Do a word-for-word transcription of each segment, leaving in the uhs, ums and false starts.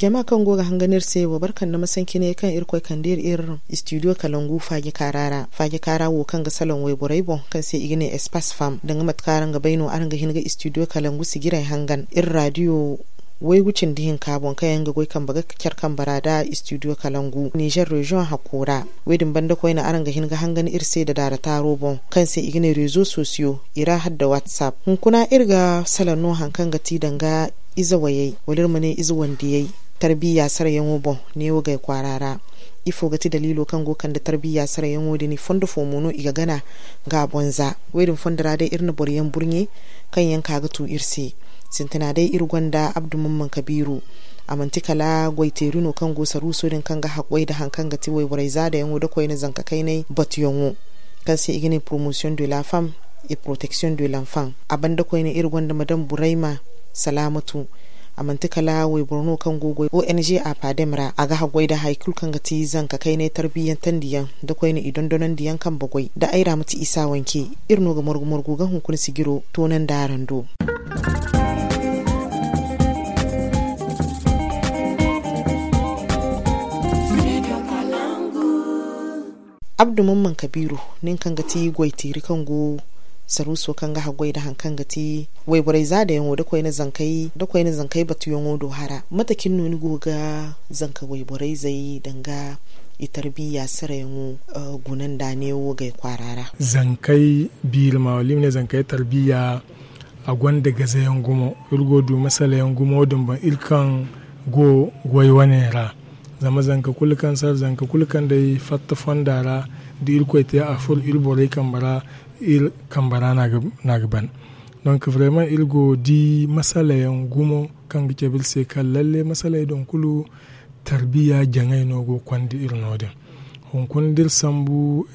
Jama kaŋ go ga hangan iri se wo barkanda masanci ne kaŋ irkoy kande iri iri studio kalangu faaji kaara ra faaji kaara wo kaŋ ga salaŋ wayborey boŋ kaŋ se i ga ne espace fam danga mate kaŋ araŋ ga bay no araŋ ga hin ga studio kalangu sijiray hangan iri radio waygu cindi hinka boŋ kaŋ yaŋ ga goy kambe ga care kambe ra nda studio kalangu niger region hakko ra. Wo- din banda koyne araŋ ga hin ga hangan iri se nda daara taaro boŋ kaŋ se i ga ne rezo sosiyo i ra hala nda whatsapp hunkuna iri ga salaŋ no hari kaŋ ga ti danga ize wayey wala iri ma ne ize wandiyey tarbiya sarayaŋo boŋ neewo gay kwaara ra. Ifo ga ti daliilo kaŋ go ga kande tarbiya sarayaŋo din fondo fo mo no i ga gana ga a boŋ za wo- din fondo ra day iri na boro yaŋ burɲe kaŋ yaŋ ka ga tu iri se. Sintina day iri gonda abdu mamman kabiiru. A manti kala goyteeri no kaŋ go saruuso din kaŋ ga haggay nda hari kaŋ ga ti wayborey zaadayaŋo nda koyne zanka kaynay batuyaŋo kaŋ se i ga ne promotion de la femme et protection de l'enfant. A banda koyne iri gonda madame burayma salaamatu. A manti kala wayboro no kaŋ go goy ong a paadem ra a ga haggay nda hari kulu kaŋ ga ti zanka kaynay tarbiyantandiyaŋ nda koyne i dondonandiyaŋ kambe goy nda ay ra ma ti isa wanke. Iri no ga margu margu ga hunkuna sijiro toonandi araŋ do. Abdu mamman kabiiru nin kaŋ ga ti goyteeri kaŋ go saruuso kaŋ ga haggoy nda hari kaŋ ga ti wayborey zaadayaŋo nda koyne zankey batuyaŋo do hara mate cine no ni go ga zanka wayborey zey danga i tarbiya sarayaŋo guna nda neewo gay kwaara ra? Zankey biiri ma wala i ma ne zankey tarbiya a gonda gazayaŋ gumo. Iri go ga du masalayaŋ gumo din boŋ iri kaŋ go goy wane ra. Zama zanka kulu kaŋ sara zanka kulu kaŋ day fatta fonda ra da irkoy te a furo iri borey kambe ra. Iri kambe ra no a ga ban. Donk vraiment iri go ga di masalayaŋ gumo kaŋ ga cabe iri se kaŋ lalle masaley din kulu tarbiya jaŋay no go ga konda iri no- din. Hunkuna da iri sambu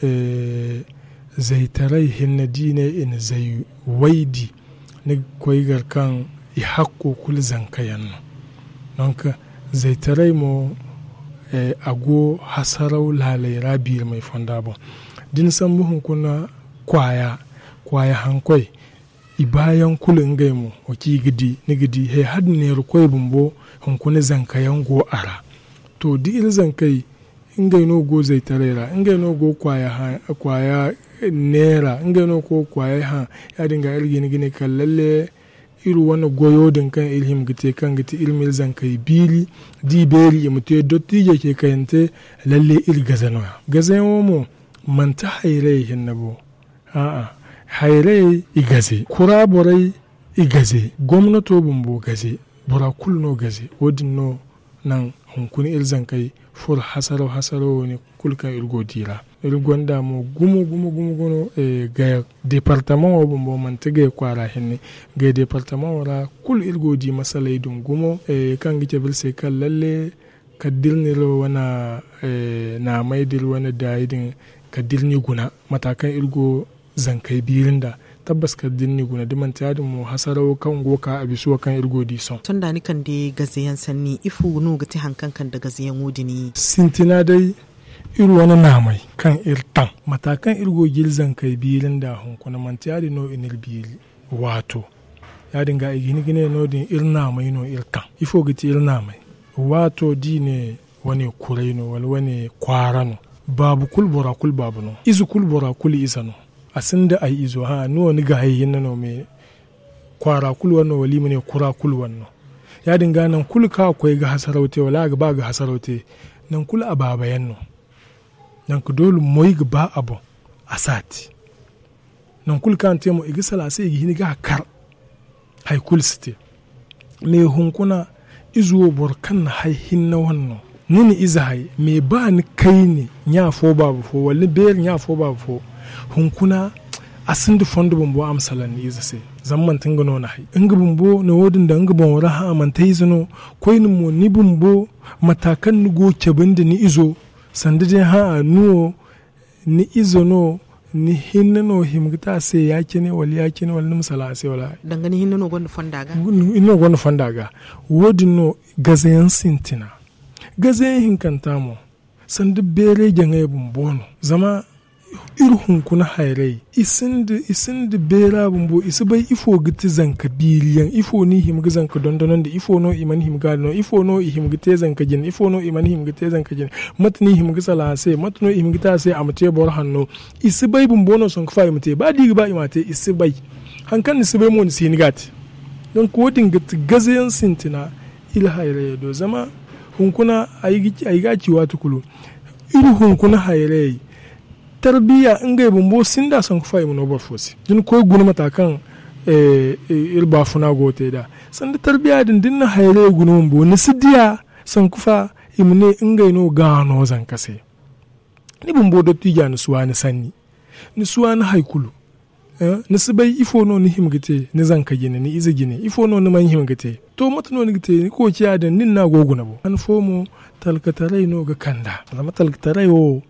zaytaray hinne da i ne i na zay waydi ni ga koy gar kaŋ i hakko kulu zanka yaŋ no. Donk zaytaray mo a go hasaraw laaley ra biirimay fonda boŋ. Da ni sambu hunkuna kwaaya kwaaya hankoy i baayaŋ kulu ngey mo wo kaŋ i ga di ni ga di he hala da neerakoy bumbo hunkuna zanka yaŋ go a ra. To da iri zankey ngey no go zaytaray ra ngey no go kwaaya neera ngey no go kwaayey hã. Ya- din ga iri ga hin ga ne kala lalle iri wane goyo din kaŋ iri hima ga te kaŋ ga ti iri ma iri zankey biiri da i beeri i ma te dottiijey ce kayante. Lalle iri gaze no- ya gazayaŋo mo manti hayrayey hinne bo. A'a, hayrayey i gaze kura borey i gaze gomnato bumbo gaze. Bora kulu no gaze wo- din no naŋ hunkuna iri zankey furo hasaraw hasaraw wo- ne kulu kaŋ iri go ga di ra. Iri gonda mo gumo gumo gumo gumo gaya departamaŋo bumbo manti gaya kwaara hinne. Gaya departamaŋo ra kulu iri go ga di masaley din gumo kaŋ ga cabe iri se kaŋ lalle kala da iri na iri wane naamey da iri wane daayi din kala da iri n'i guna mata kaŋ iri go zankey biiri nd'a. Tabbas kala da iri n'i guna da manti ya- din mo hasaraw kaŋ go ga ka a bisa wo kaŋ iri go ga di sohõ. Sohõ da ni kande gazayaŋ sanni ifo no ga ti hari kaŋ kande gazayaŋo din? Sintina day iri wane naamey kaŋ iri taŋ mata kaŋ iri go ga iri zankey biiri nd'a hunkuna manti ya- din no i n'iri biiri. Waato ya- din ga i ga hin ga ne no- din iri naamey no iri taŋ. Ifo ga ti iri naamey? Waato da i ne wane kuray no wala wane kwaara no. Baabu kulu bora kulu baabu no ize kulu bora kulu ize no. A sinda ay izo hã ni wo ni ga hay hinne no me kwaara kulu wane no wala i ma ne kura kulu wane no. Ya- din ga nangu kulu kaŋ a koy ga hasaraw te wala a ga ba ga hasaraw te nangu kulu a baaba yaŋ no. Nangu doole moy ga ba a boŋ a si a te. Nangu kulu kaŋ a na te mo i ga sala a se i ga hin ga a kar. Hari kulu si te. Me hunkuna ize wo boro kaŋ na hari hinne wane no. Ni na ize hari me ba ni kayne ɲa fo baaba fo wala ni beeri ɲa fo baaba fo. Hunkuna a sinda fondo bumbo a ma salaŋ ni ize se. Zama manti nga no na hari nga bumbo na wo- din daŋ nga boŋo ra hã a manti ay ize no. Koyne mo ni bumbo mata kaŋ ni go ga cabe nda ni izo sanda day hã ni wo ni ize no ni hinne no hima ga te a se ya- cine wala ya- cine wala ni ma salaŋ a se wala hari. Danga ni hinne no gonda fonda ga. Ni hinne no gonda fonda ga. Wo- din no gazayaŋ sintina. Gazayaŋ hinkanta mo sanda beeray jaŋay bumbo no. Zama Iri hunkuna hayray i sinda beera bumbo i si bay ifo ga ti zanka biiriyaŋ ifo no i hima ga zanka dondonandi ifo no i mana hima ga a dondon ifo no i hima ga te zanka jine ifo no i mana hima ga te zanka jine. Mate no i hima ga salaŋ a se mate no i hima ga te a se a ma te boro hanno. I si bay bumbo no sanku fa i ma te ba da i ga ba i m'a te i si bay. Hari kaŋ ni si bay mo ni si hin ga a te. Donk wo- din ga ti gaze yaŋ sintina. Iri hayrayey do zama hunkuna ay ga a ci waati kulu. Iri hunkuna hayrayey tarbiya ngey bumbo sinda sanku fa i ma no boro fo se da ni koy guna mata kaŋ iri baafuna go ga te nd'a. Sanda tarbiya din da ni na hayrayey guna bumbo ni si diya sanku fa i ma ne ngey no ga no zanka se. Ni bumbo dottiija ni si waani sanni. Ni si waani hari kulu. Ni si bay ifo no ni hima ga te ni zanka jine ni ize jine ifo no ni mana hima ga te? To mate no ni ga te ni koociya din nin no a go ga guna bo han fo mo. Talkataray no ga kand'a zama talkataray wo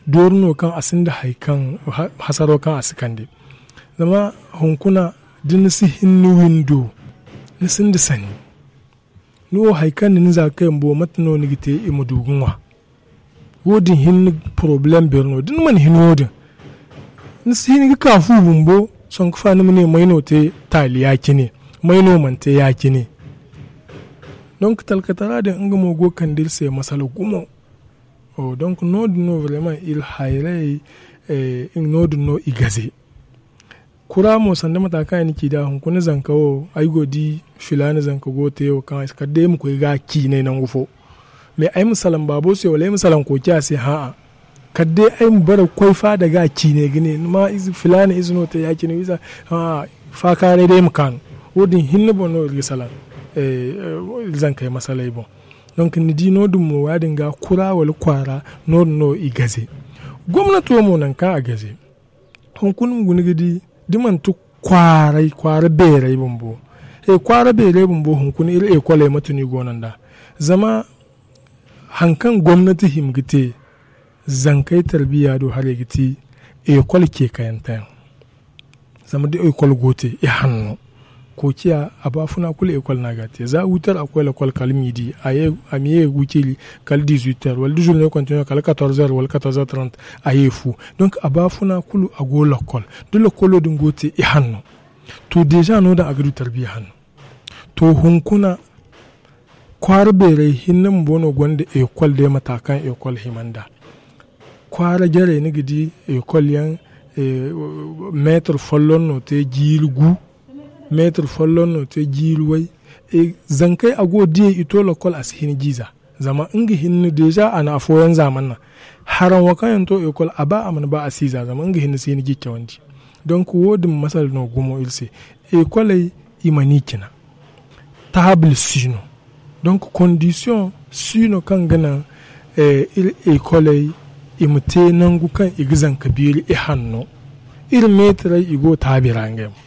dooru no kaŋ a sinda hari kaŋ hasaro kaŋ a si kande. Zama hunkuna da ni si hin ni windo ni sinda sanni. Ni wo hari kaŋ na ni za ga kay bumbo mate no ni ga te i ma du ga ŋwa? Wo- din hinne porobalem beeri no da ni mana hin wo- din ni si hin ga ka fu bumbo. Sanku fa ni ma ne may no te taali ya- cine may no mana te ya- cine. Donk talkatara din nga mo go ga kande iri se masala gumo. Donk no- din no vraiment iri hayray. No- din no i gaze. Kura mo sanda mata kaŋ ay na ci nd'a hunkuna zanka wo ay go ga di filaana zanka go ga te wo kaŋ ay si kala day ay ma koy ga a ciinay nangu fo. Mais ay ma salaŋ baabo se wala ay ma salaŋ koociya se hã'a. Kala day ay ma bare ga koy faada ga a ciinay ga ne ni ma filaana ize no te ya- cine wiiza. Hã'a. Faakaaray day ay ma kaanu. Wo- din hinne boŋ no iri ga salaŋ iri zankey masaley boŋ. Donk ni di no- din mo ya- din ga kura wala kwaara no- din no i gaze. Gomnato mo nangu kaŋ a gaze hunkuna ma guna ga di da manti kwaaray kwaara beeray bumbo. Kwaara beeray bumbo hunkuna iri ekoley mate no i go no nd'a? Zama hari kaŋ gomnati hima ga te zankey tarbiya do haray ga ti ekol ceekayanteyaŋ. Zama da ekol go ga te i hanno koociya a baafuna kulu ekol no a ga a te za huit heures a ga koy lakol kala midi a ma ye ga gu ciri kala dix huit heures wala da zurne kontineer kala quatorze heures wala quatorze heures trente. A ye fu. Donk a baafuna kulu a go lakol da lakolo din go ga te i hanno. To deeza no- din a ga du tarbiya hanno. To hunkuna kwaara beeray hinne bumbo no gonda ekol day mata kaŋ ekol hima nd'a. Kwaara jarey ni ga di ekol yaŋ meetar folloŋ no te jiiri gu. Meetar folloŋ no te jiiri way. Zankey a go ga diyey i to lakol a si hin ga i za. Zama nga hinne deeza a na afooyaŋ zaamana. Haraŋ wo kaŋ yaŋ to ekol a ba a mana ba a si i za zama nga hinne si hin ga i cawandi. Donk wo- din masala no gumo iri se. Ekoley i mana i cina. Taabul si no. Donk kondisiyoŋ si no kaŋ ga naŋ iri ekoley i ma te nangu kaŋ i ga zanka beeri i hanno. Iri meetarey i go ga taabi ra ngey mo.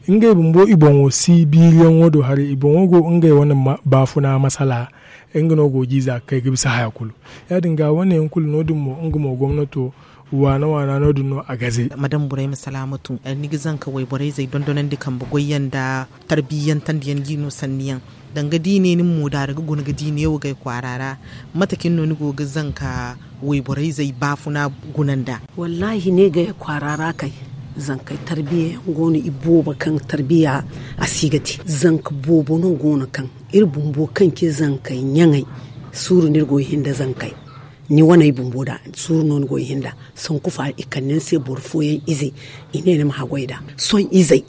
Ngey bumbo i boŋo si biiriyaŋo do haray i boŋo go ngey wane baafuna masala. Nga no go ga i za ga kay ga bisa haya kulu. Ya- din ga wane yaŋ kulu no- din mo nga mo gomnato waana waana no- din no a gaze. Madam burayma salaamatu ni ga zanka wayborey zey dondonandi kambe goyyaŋ nda tarbiyyantandi yaŋ ga i no sanni yaŋ. Danga da i ne ni ma moodaari ga guna ga di neewo gay kwaara ra? Mate cine no ni go ga zanka wayborey zey baafuna guna nd'a? Wallaahi ne gay kwaara ra kay zankey tarbiya yaŋ go no i boobo kaŋ tarbiya a si ga te. Zanka boobo no go no kaŋ iri bumbo kaŋ ci zankey ɲaŋey. Suuru no iri go ga hin nda zankey ni waney bumbo nd'a. Suuru no ni go ga hin nd'a. Sanku fa i kande ni se boro fooyaŋ ize i ne ni ma haggoy nd'a. Sohõ izey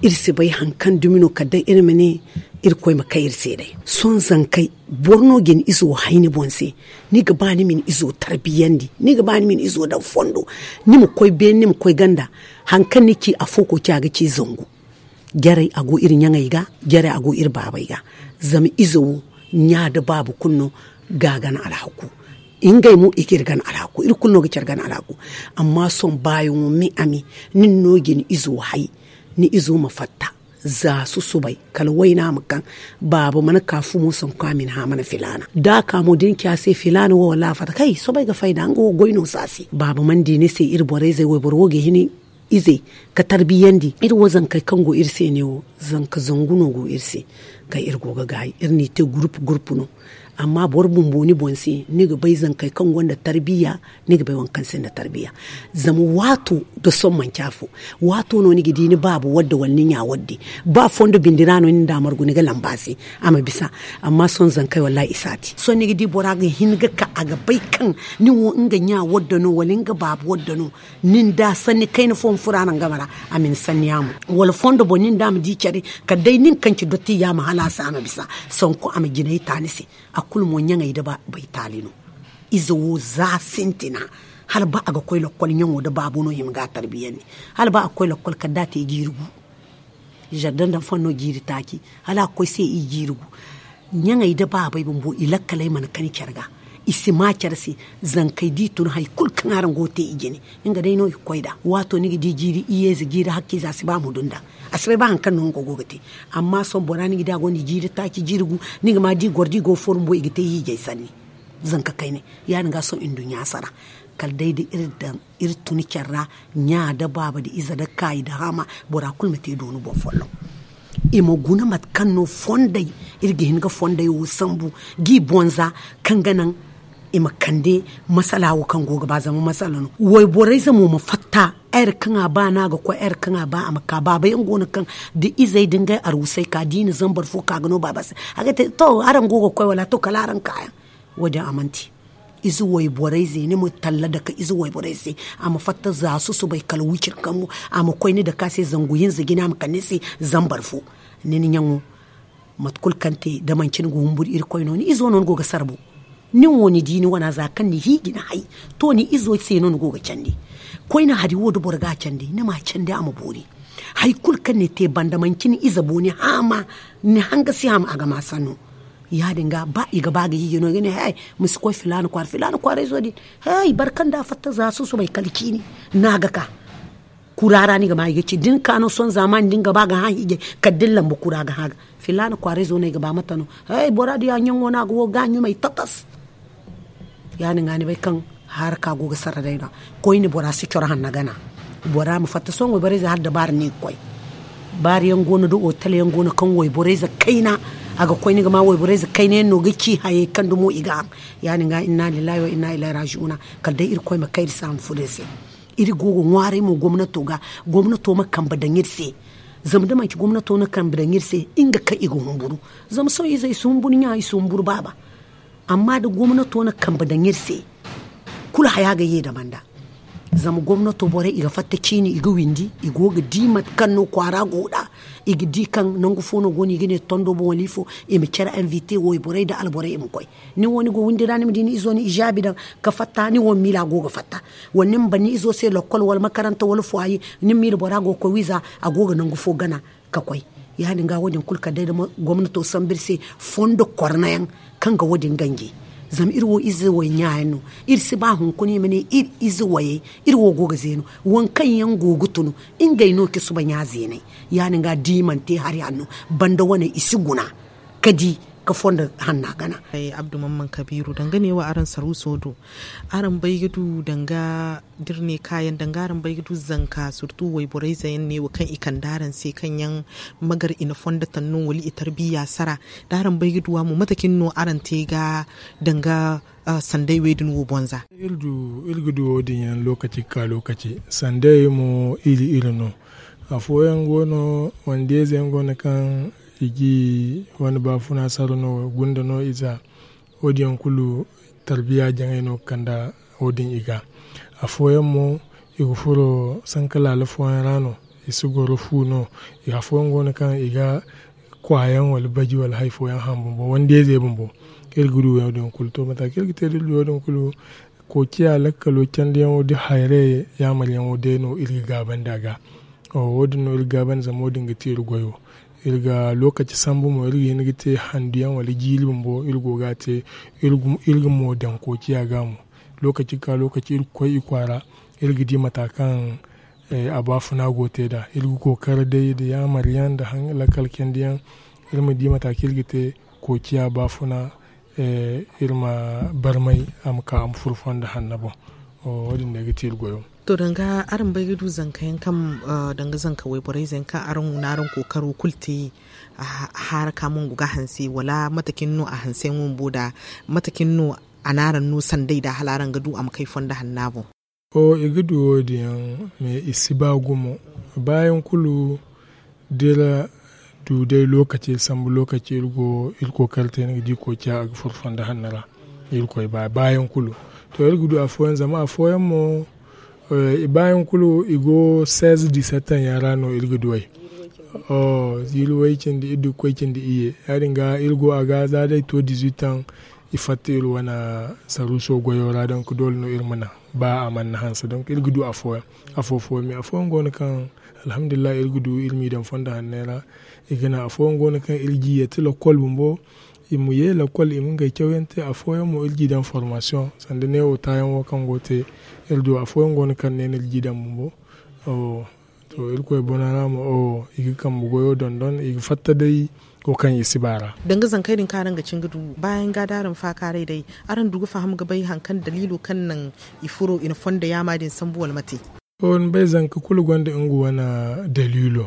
iri si bay hari kaŋ dumi no kala day iri ma ne irkoy ma kay iri se day. Sohõ zankey boro no ga ni izo hay ni boŋ se. Ni ga ba ni ma ni izo tarbiyandi ni ga ba ni ma ni izo daŋ fondo. Ni ma koy beene ni ma koy ganda. Hari kaŋ ni ci afo koy ci a ga ci zangu. Jarey a go iri ɲaŋey ga. Jarey a go iri baabey ga. Zama ize wo ɲa nda baaba kulu no ga a gana alhaku. Ngey mo i ga iri gana alhaku iri kulu no ga care gana alhaku. Amma sohõ baayaŋo me a me nin no ga ni izo hay. Ni izo ma fatta za susubay kala wayna ma kaŋ. Baaba mana ka fumo sanku a ma ni hã mana filaana da a ka mo da ni ci a se filaana wo wallaahi a fatta kay soobay ga fay nd'a nga wo goy no si a se. Baaba mana di ni se iri borey zey wayboro wo ga hin izey ka tarbiyandi iri wo zankey kaŋ go iri se ne wo. Zanka zangu no go iri se kaŋ iri go ga gaayi iri n'i te gurupu gurupu no. Amma boro bumbo ni boŋ se ni ga bay zankey kaŋ gonda tarbiya, ni ga bay waŋ kaŋ sinda tarbiya. Zama waato nda sohõ manci afo. Waato no ni ga di ni baaba wadde wala ni ɲa wadde. Ba fondo bindi ra no ni nda a margu ni ga lamba a se a ma bisa. Amma sohõ zankey wallaahi i si a te. Sohõ ni ga di bora ga hin ga ka a ga bay kaŋ ni wo nga ɲa wadde no wala nga baaba wadde no. Nin da sanni kayna fo ma furo a naŋ game ra, a ma ni sanni yaamo. Wala fondo boŋ nin da a ma di care kala day nin kaŋ ci dotti yaamo hala a se a ma bisa. Sanku a ma jinay ta ni se. A kulu mo ɲaŋey nda baabey taali no. Ize wo za sintina. Hala ba a ga koy lakkol ɲaŋo nda baabo no i ma ga a tarbiyandi. Hala ba a ga koy lakkol kala da a te jiiri gu. Zardaŋ daŋ fanno jiiri taaci hala a ga koy se i jiiri gu. Ɲaŋey nda baabey bumbo i lakkaley mana kani care ga. I si ma care se. Zankey da i tun hari kulu kaŋ araŋ go ga te i jine. Nga day no i ga koy nd'a waato ni ga di jiiri iyye ize jiiri hakka ize a si ba a ma du nd'a. A si bay ba hari kaŋ no nga go ga te. Amma sohõ bora ni ga di a gonda jiiri taaci jiiri gu. Ni ga ma da i goro da i go ga furo bumbo i ga te hiijay sanni. Zanka kayne ya- din ga sohõ nduɲɲa sara. Kala day da iri daŋ iri tun care ra. Ɲa nda baaba nda ize nda kaayi nda haama. Bora kulu ma te dooni boŋ folloŋ. I ma guna mate kaŋ no fondey iri ga hin ga fondey wo sambu. G'i bonza kaŋ ga naŋ i ma kande masala wo kaŋ go ga ba zama masala no. Wayborey zamo ma fatta. Ayre kaŋ a ba no a ga koy ayre kaŋ a ba a ma ka baaba yaŋ go no kaŋ da izey da ngey arwusey ka da i na zambar fo ka ga no baaba se. A ga te to araŋ go ga koy wala to kala araŋ kaayaŋ. Wo- din a mana te. Ize wayborey ze ni ma talla dake ize wayborey se. A ma fatta za susubay kala wiciri kambu. A ma koy ni dake a se zangu hinza jina a ma kande ni se. Zambar fo ni na ɲaŋo. Mate kulu kaŋ te da manci ni ga humburu irkoy no ni izo no ni go ga sarbu. Nin wo ni di ni wana za kaŋ ni hiiji ni hay. To ni izo se no ni go ga candi. Koyne hari wo da boro ga a candi ni ma a candi a ma boori. Hari kulu kaŋ ni te banda manci ni ize bo ni haama. Ni hanga si haama a ga ma sanno. Ya- din ga ba i ga ba ga hiiji no i ga ne he. Ma si koy filaana kwaara filaana kwaarayzo din. He boro kaŋ da a fatta za susubay kala ciini. Ni a ga ka. Kura ra ni ga ma i ga ci da ni ka no sohõ zaamaani da ni ga ba ga hã hiijay. Kala da ni lamba kura ga hã ga filaana kwaarayzo no ay ga ba mate no. Bora din ya ɲaŋo no a ga wo ga a ɲumay tatas. Ya- din ga ni bay kaŋ haraka go ga sara day no. Koyne bora si coro hanna gana. Bora ma fatta sohõ wayborayze hala dabaara no i ga koy. Baari yaŋ go no da otal yaŋ go no kaŋ wayborayze kayna. A ga koy ni ga ma wayborayze kayna yaŋ no ga ci hayey kaŋ dumo i ga haŋ. Ya- din ga inna lillahi wa inna ilay raji'una. Kala day irkoy ma kay iri se a ma furo iri se. Iri go ga ŋwaaray mo gomnato ga. Gomnato ma kambe daŋ iri se. Zama da manci gomnato na kambe daŋ iri se nga kaŋ i ga humburu. Zama sohõ ize i si humburu ɲa i si humburu baaba. Amma da gomnato na kambe daŋ iri se. Kulu haya ga ye dama nda. Zama gomnato borey i ga fatta ciini i ga windi i go ga di mate kaŋ no kwaara go nd'a. I ga di kaŋ nangu fo no go no i ga ne tondo boŋ wala ifo. I ma care invite wayborey nda alborey i ma koy. Ni wo ni go windi ra ni ma di ni izo ni ijaabi daŋ ka fatta ni wo ni miila go ga fatta. Wala ni ma ban ni izo se lakkol wala makaranta wala fwaaye. Ni ma miila bora go ga koy wiiza a go ga nangu fo gana ka koy. Ya- din ga wo- din kulu kala day da gomnato sambu iri se fondo korna yaŋ kaŋ ga wo- din ganji. Zama iri wo ize way ɲa yaŋ no. Iri si ba hunkuna i ma ne iri ize wayey. Iri wo go ga zeenu waŋ kaŋ yaŋ go ga tunu. Ngey no ci suba ɲa zeeney. Ya- din ga da i mana te hari hanno banda waney i si guna ka di ka fondo hanna gana. Abdu mamman kabiiru danga neewo araŋ saruuso do. Araŋ bay ga du danga da iri ne kaayaŋ danga araŋ bay ga du zanka surtu wayborayze yaŋ neewo kaŋ i kande araŋ se kaŋ yaŋ magar i na fondo taŋ no wala i tarbiya sara. Da araŋ bay ga du a mo mate cine no araŋ te ga danga sanday wey din wo boŋ za? Iri ga du wo- din yaŋ lookaci ga ka lookaci. Sanday mo iri iri no. Afooyaŋ go no wande ize yaŋ go no kaŋ i ga i wane baafuna sara no gunda no i za. Wo- din yaŋ kulu tarbiya jaŋay no ga kande wo- din i ga. Afooyaŋ mo i ga furo sanka laala fooyaŋ ra no. I si goro fu no. Afooyaŋ go no kaŋ i ga kwaayaŋ wala baji wala hari fooyaŋ haŋ bumbo wande ize bumbo. Iri ga du wo- din kulu to mate kaŋ iri ga te da iri du wo- din kulu. Koociya lakkalo candiyaŋo da hayray yaamaryaŋo day no iri ga gaabandi a ga. Wo- din no iri ga gaabandi zama wo- din ga te iri goyo. Iri ga lookaci sambu mo iri ga hin ga te handuyaŋ wala jiiri bumbo iri go ga a te. Iri ga mo daŋ koociya ga mo. Lookaci ga ka lookaci iri ga koy i kwaara. Iri ga di mate kaŋ a baafuna go te nd'a iri ga kookari day nda yaamaryaŋ nda lakkal candiyaŋ. Iri ma di mate kaŋ iri ga te koociya baafuna. Iri ma barmay a ma ka a ma furo fondo hanno boŋ. Wo- din day ga ti iri goyo. To, danga araŋ bay ga du zanka yaŋ kaŋ, danga zanka wayborey zey yaŋ kaŋ araŋ na araŋ kookaro kulu te, a haara ka mongu ga hanse wala mate cine no a hanse yaŋo bumbo da mate cine no a na araŋ no sanday da hala araŋ ga du a ma kay fondo hanna boŋ? O i ga du wo- din yaŋ, mais i si ba gumo. Baayaŋ kulu da iri du day lookaci iri sambu lookaci iri go iri kookari te ni ga di kookiya a ga furo fondo hanno ra. Iri koy ba baayaŋ kulu to iri ga du afooyaŋ zama afooyaŋ mo baayaŋ kulu i go seize dix-sept yaŋ ra no iri ga du ay. Ziiri way cindi iri du ga koy cindi iyye ya- din ga iri go a ga za day to dix-huit yaŋ. I fatta iri wane saruuso goyo ra donk doole no iri ma naŋ ba a mana hanse donk iri ga du afooyaŋ. Afo fooyaŋ mais afooyaŋ go no kaŋ alhamdulillahi iri ga du iri m'i daŋ fondo hanney ra. I ga naŋ afooyaŋ go no kaŋ iri g'i yeeti lakkol bumbo. I ma ye lakkol i ma ngey cawyaŋ te afooyaŋ mo iri g'i daŋ formasiyoŋ sanda neewo taayaŋ wo kaŋ go te. Iri du afooyaŋ go no kaŋ ne no iri g'i daŋ bumbo. To irkoy bana ra mo i ga kambe goyo dondon i ga fatta day wo kaŋ i si ba ra. Danga zankey din kaŋ araŋ ga cin ga du baayaŋ ga da araŋ faakaaray day araŋ du ga faham ga bay hari kaŋ daliilo kaŋ naŋ i furo i na fondo yaama din sambu wala mate? To ni bay zanka kulu gonda nga wane daliilo.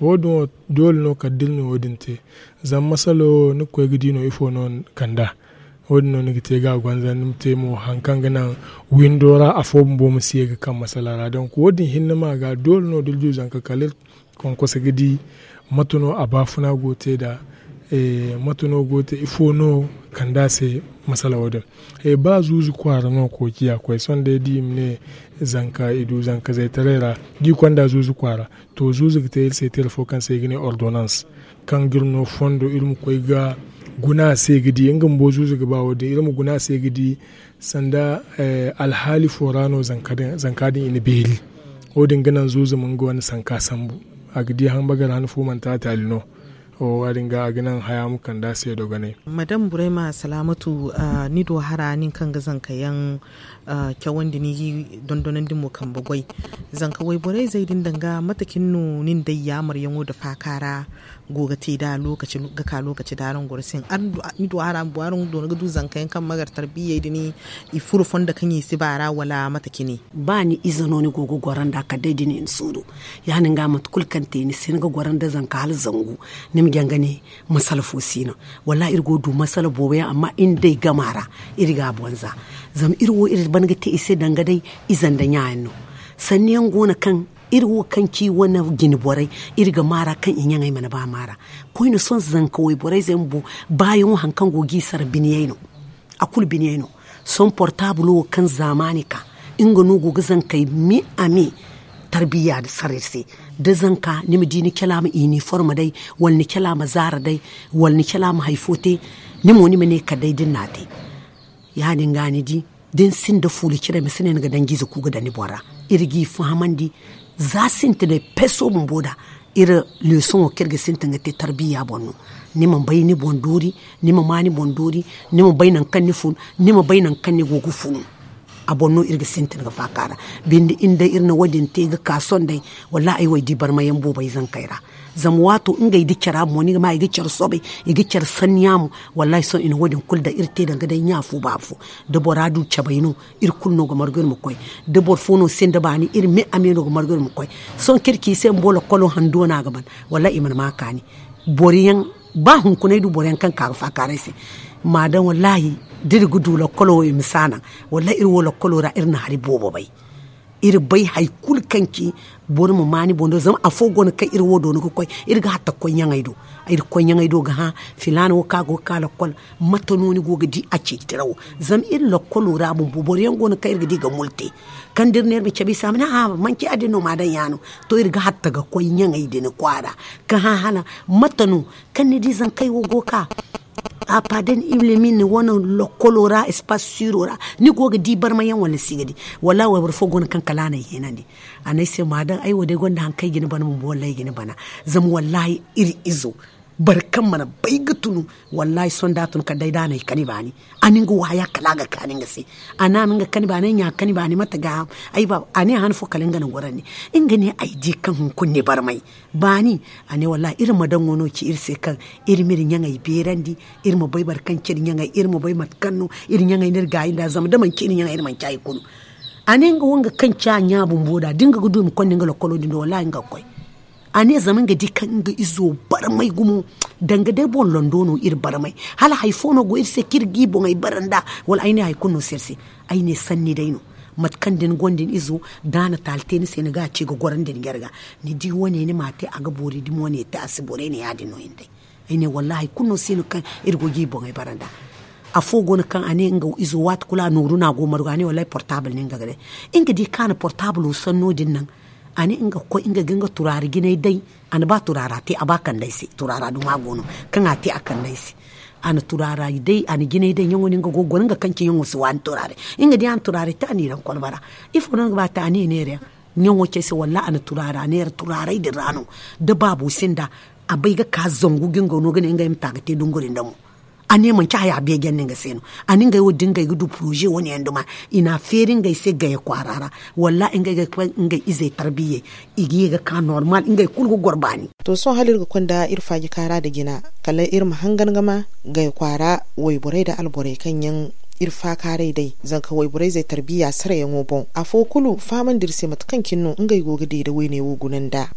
Wo- din wo doole no kala da iri na wo- din te. Zama masalo ni ga koy ga di no ifo no kand'a. Wo- din no ni ga te ga a gonza ni ma te mo hari kaŋ ga naŋ windo ra afo bumbo ma si ye ga kaŋ masala ra donk wo- din hinne ma ga doole no da iri du zanka kala iri konkoso ga di mate no a baafuna go te nd'a. Mate no go te ifo no kand'a se masala wo- din. Ba zuuzu kwaara no kookiya koy sohõ day da i ma ne zanka i du zanka zaytaray ra da i konda zuuzu kwaara. To zuuzu ga te iri se tira fo kaŋ se i ga ne ordonans kaŋ ga iri no fondo iri ma koy ga guna a se ga di nga bumbo zuuzu ga ba wo- din iri ma guna a se ga di sanda alhaali fo ra no zanka din i na beeri. Wo- din ga naŋ zuuzu ma nga wane sanka sambu a ga di hambagara han fo manti a taali no. Wo- din ga a ga naŋ haya ma kand'a se dogonay. Madam burayma salaamatu, ni do hara nin kaŋ ga zanka yaŋ cawandi ni ga i dondonandi mo kambe goy. Zanka wayborey zey din danga mate cine no nin day yaamaryaŋo nda faaka ra go ga te nd'a lookaci ga ka lookaci da araŋ goro se ni du hara bumbo araŋ doona ga du zanka yaŋ kaŋ ma gar tarbiyey din i furo fondo kaŋ i si ba ra wala mate cine? Ba ni ize no ni go ga goro nd'a kala day da ni na suuru. Ya- din ga mate kulu kaŋ te ni si hin ga goro nda zanka hala zangu ni ma jaŋ ga ne masala fo si no. Wallaahi iri go ga du masala boobo yaŋ amma iri nda ay gama ra iri ga a boŋ za. Zama iri wo iri ban ga te i se danga day ize nda ɲa yaŋ no. Sanni yaŋ go no kaŋ iri wo kaŋ ci wane jine borey iri ga maara kaŋ i ɲaŋey mana ba maara. Koyne sohõ zanka wayborey zey bumbo baayaŋo hari kaŋ go ga i sara biniyey no. A kulu biniyey no. Sohõ portaabul wo kaŋ zaamaani ka nga no go ga zankey me a me. Tarbiya saray se da zanka ni ma di ni cala ma iniform day, wala ni cala ma zaara day, wala ni cala ma hari fo te. Ni mo ni ma ne kala day da ni n'a te. Ya- din ga ni di da ni sinda fuula cire ma si ne ni ga danji ize ku ga daŋ ni boŋ ra. Iri g'i fahamandi za sintinay peso bumbo nd'a. Iri leesoŋo kaŋ iri ga sintin ga te tarbiya boŋ no. Ni ma bay ni boŋ doori, ni ma ma ni boŋ doori, ni ma bay nangu kaŋ ni fun, ni ma bay nangu kaŋ ni go ga fun. A boŋ no iri ga sintin ga faaka ra. Binde iri day iri na wo- din te ga ka sohõ day. Wallaahi ay wo ay di barmayaŋ boobo ay zankey ra. Zama waato ngey da care a boŋ ni ga ma i ga care soobay, i ga care sanniya mo. Wallaahi sohõ i na wo- din kulu daŋ iri te danga day ɲa fo ba fo. Da bora du cabay no iri kulu no ga margu iri ma koy. Da boro fo no sinda baani iri me a me no ga margu iri ma koy. Sohõ kaŋ iri ci i se bumbo lakkolo handuwa no a ga ban. Wallaahi i mana ma a kaani. Boro yaŋ ba hunkuna ay du boro yaŋ kaŋ ka ga faakaaray se. Ma daŋ wallaahi da iri ga du lakkolo wo i ma si a naŋ. Wallaahi iri wo lakkolo ra iri na hari boobo bay. Iri bay hari kulu kaŋ ci boro ma ma ni boŋ do zama afo go no kaŋ iri wo doona ga koy. Iri ga hatta ga koy ɲaŋey do. Iri ga koy ɲaŋey do ga hã filaana wo kaŋ a go ga ka lakkol. Mate no ni go ga di a ceeci tira wo? Zama iri lakkolo ra bumbo boro yaŋ go no kaŋ iri ga di ga mul te. Kaŋ da iri ne iri ma cabe i se a ma ne a'a manci ya- din no ma daŋ ya no. To iri ga hatta ga koy ɲaŋey din kwaara ga hã hala mate no kaŋ ni di zankey wo go ga ka. A pa da ni ilimin wane lakkolo ra espace siro ra ni go ga di barmayaŋ wala ni si ga di? Wallaahi wayboro fo go no kaŋ kala a na ay heenandi. A ne ay se ma daŋ ay wo day gonda hari kaŋ ay ga ni bana bumbo wallaahi ay ga ni bana. Zama wallaahi iri izo boro kaŋ mana bay ga tunu. Wallaahi sohõ da a tun kala day da a na ay kani baani. A na nga wo haya kala a ga kaani nga se. A ne a na nga kani baani ay ɲa kani baani mate ga a ne han fo kala nga na gorandi. Nga ne ay di kaŋ hunkuna ni barmay baani. A ne wallaahi iri ma daŋo no ci iri se kaŋ iri ma iri ɲaŋey beerandi. Iri ma bay boro kaŋ ci iri ɲaŋey iri ma bay mate kaŋ no iri ɲaŋey no iri gaayi nd'a zama da manci iri ɲaŋey iri manci hari kulu. A ne nga wo nga kaŋ ci a ɲa bumbo da da nga ga du i ma konda nga lokkolo din do wallaahi nga ga koy. A ne zama nga di kaŋ nga izo barmay gumo. Danga day boŋ londo no iri barmay. Hala hari fo no go iri se kaŋ iri ga i boŋey bara nd'a. Wala ay ne hari kulu no si iri se. Ay ne sanni day no. Mate kaŋ da ni gonda ni izo da a na taali te ni se ni ga a ci ga goro nda ni jarga. Ni di wo- ne ni m'a te a ga boori dumi wo- ne te a si borey ne ya- din no hinday. Ay ne wallaahi hari kulu no si no kaŋ iri go ga i boŋey bara nd'a. Afo go no kaŋ a ne nga izo waati kulu a nooru no a go margu a ne wallaahi portaabul no nga ga day. Nga di kaŋ a na portaabulo sanno din naŋ. A ne nga ga koy nga ga nga turaara jinay day. A na ba turaara te a ba kand'ey se turaara duma go no. Kaŋ a te a kand'ey se. A na turaara day a na jinay day ɲaŋo no nga go ga goro nga kaŋ ci ɲaŋo si waani turaarey. Nga di a na turaarey te a n'i daŋ kolba ra. Ifo no ni ga ba a te a ne neera yaŋ? Ɲaŋo ci ay se wallaahi a na turaara neera turaarey din ra no. Da baabo sinda a bay ga ka zangu ga nga no ga ne ngey ma ta ga te dunguri nda mo. A ne manci haya beeje yaŋ no nga se no. A na ngey wo- din ngey ga du poroze wo- ne yaŋ duma. I n'a feeri ngey se gaya kwaara ra. Wallaahi ngey ga koy ngey izey tarbiyey. I ga ye ga ka normal ngey kulu ga goro baani. To sohõ hala iri ga konda iri faaji kaara nda jina kala iri ma hangan ga ma gaya kwaara wayborey nda alborey kaŋ yaŋ iri faakaaray day zanka wayborey zey tarbiya sarayaŋo boŋ afo kulu fahamandi iri se mate kaŋ cine no ngey go ga deeda wayne wo guna nd'a.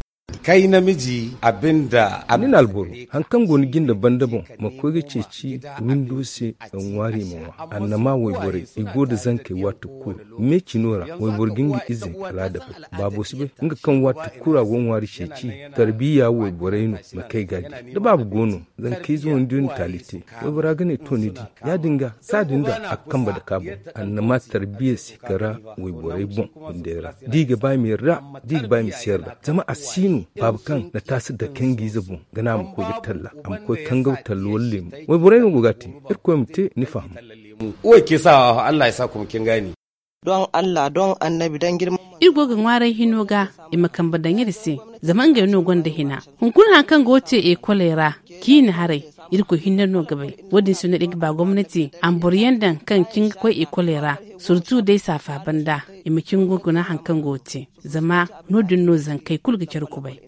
Kay namiji abin da ni na alboro hari kaŋ go ni jinde banda boŋ ma koy ga ceeci windo se. Ŋwaari ma ŋwa annama wayborey i go nda zankey waati kulu meecino ra wayboro ga nga izey kala a dabay. Baabo si bay nga kaŋ waati kulu a go ga ŋwaari ceeci. Tarbiya wayborey no ma kay ga a di da baaba go no zankey ize wandi no taali te. Waybora ga ne to ni di ya- din ga saadi nda a ga kambe dake a boŋ. Annama tarbiya si kara wayborey boŋ windey ra da i ga ba i ma yarda da i ga ba i ma si yarda zama a si no baaba kaŋ na taasi dake nga ize boŋ ga ne a ma koy ga talla a ma koy kangaw talla wala leemu. Wayborey no go ga a te. Irkoy ma te ni faham. Uway ke sa allah ya sa kuma kin gani. Don allah don annabi don girma. Iri go ga ŋwaaray hino ga i ma kambe daŋ iri se. Zama ngey no gonda hina hunkuna hari kaŋ go ga te ekoley ra ciine haray. Irkoy hinne no ga bay. Wo- din se no iri ga ba gomnati a ma boro yaŋ daŋ kaŋ ga cin ga koy ekoley ra surtu day saafa banda i ma cin ga guna hari kaŋ go ga te. Zama no- din no zankey kulu ga care kubay.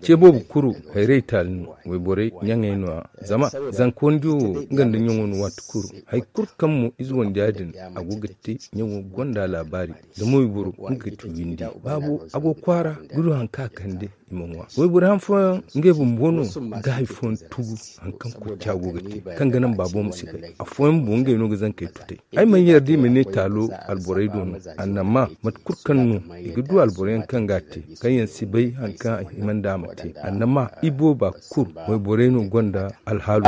Ceebo boobo kuru hayrey taali no wayborey ɲaŋey no- ya zama zanka wandiyo wo nga nda ɲaŋo no waati kulu. Hari kulu kaŋ mo ize wandiya din a go ga te ɲaŋo gonda laabaari. Zama wayboro nga ga ti windi baabo a go kwaara ga du hari kaŋ a kande i ma ŋwa. Wayboro han fooyaŋ ngey bumbo no ga hari fooyaŋ tugu hari kaŋ kurca go ga te kaŋ ga naŋ baabo ma si bay. Afooyaŋ bumbo ngey no ga zankey tutay. Ay mana yarda i ma ne taalo alborey do no. Annama mate kulu kaŋ no i ga du alboro yaŋ kaŋ ga a te kaŋ yaŋ si bay hari kaŋ a hima nda a ma te annama i booba kulu wayborey no gonda alhaalo.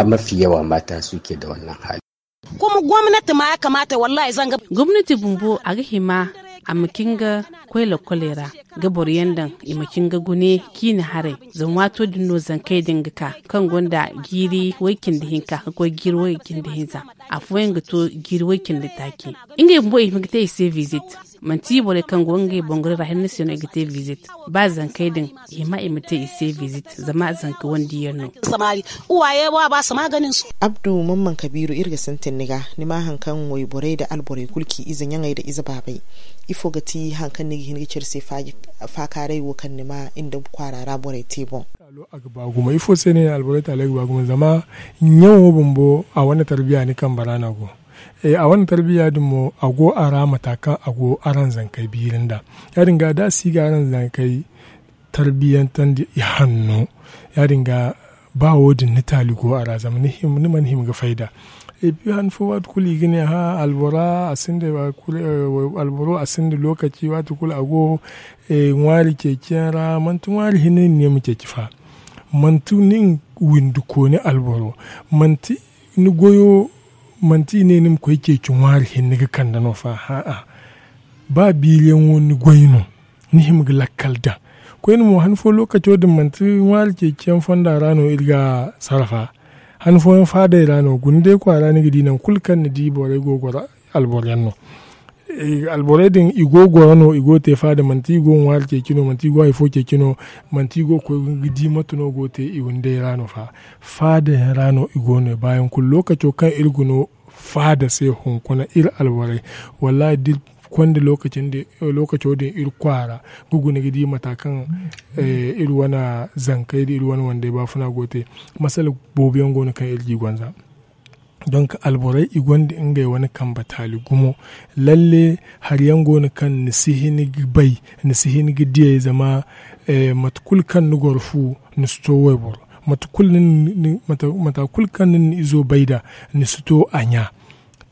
Kuma gomnati ma ya kamaata wallahi zanga gomnati bumbo a ga hima a ma cin ga koy lakoley ra ga boro yaŋ daŋ i ma cin ga gune ciine haray. Zama waato din no zankey din ga ka kaŋ gonda jiiri way- cindi hinka ga koy jiiri way- cindi hinza. Afooyaŋ ga to jiiri way- cindi taaci. Ngey bumbo i hima ga te i se visit. Manti borey kaŋ go ngey bongorey ra hinne se no i ga te visit. Ba zankey din i hima i ma te i se visit zama zanka wandiyaŋ no. Abdu mamman kabiiru iri ga sintin ni ga ni ma hari kaŋ wayborey nda alborey kulu ci ize ɲaŋey nda ize baabey? Ifo ga ti hari kaŋ ni ga hin ga care se faakaaray wo kaŋ ni ma iri nda kwaara ra borey te boŋ? A ga ba gumo ifo se no i ne alborey taaley ga ba gumo zama ɲaŋo bumbo a wane tarbiya ni kambe ra no a go. A wane tarbiya din mo a go a ra mata kaŋ a go araŋ zankey biiri nd'a. Ya- din ga da a si ga araŋ zankey tarbiyantandi i hanno. Ya- din ga ba wo- din ni taali go a ra zama ni mana hima ga fayda. Epi han fo waati kulu i ga ne hã albora a sinda lokaci waati kulu a go ŋwaari ceeciyaŋ ra manti ŋwaari hinne ni ne ma ceeci fa. Manti nin windikooni alboro manti ni goyo manti i ne ni ma koy ceeci ŋwaari hinne ga kande no fa hã'a. Ba biiriyaŋo ni goy no ni hima ga lakkal daŋ. Koyne mo han fo lokaco din manti ŋwaari ceeciyaŋ fonda ra no iri ga sarrafa. Han fooyaŋ faadey ra no guna day kwaara ni ga di nangu kulu kaŋ ni di borey go ga goro alboro yaŋ no. Alborey din i go ga goro no i go ga te faada manti i go ga ŋwaari ceeci no manti i go ga hari fo ceeci no. Manti i go ga koy ga di mate no go ga te i windey ra no fa. Faada yaŋ ra no i go no baayaŋ kulu lokaco kaŋ iri ga no faada se hunkuna iri alborey. Wallaahi da iri konda lokaco din iri kwaara ga guna ga di mata kaŋ iri wane zankey nda iri wane wandey baafuna go ga te. Masala boobo yaŋ go no kaŋ iri ga i gonza. Donk alborey i gonda ngey wane kambe taali gumo. Lalle hari yaŋ go no kaŋ ni si hin ga bay, ni si hin ga diyey zama mate kulu kaŋ ni goro fu, ni si to wayboro. Mate kulu ni na ni izo bay nd'a, ni si to a ɲa.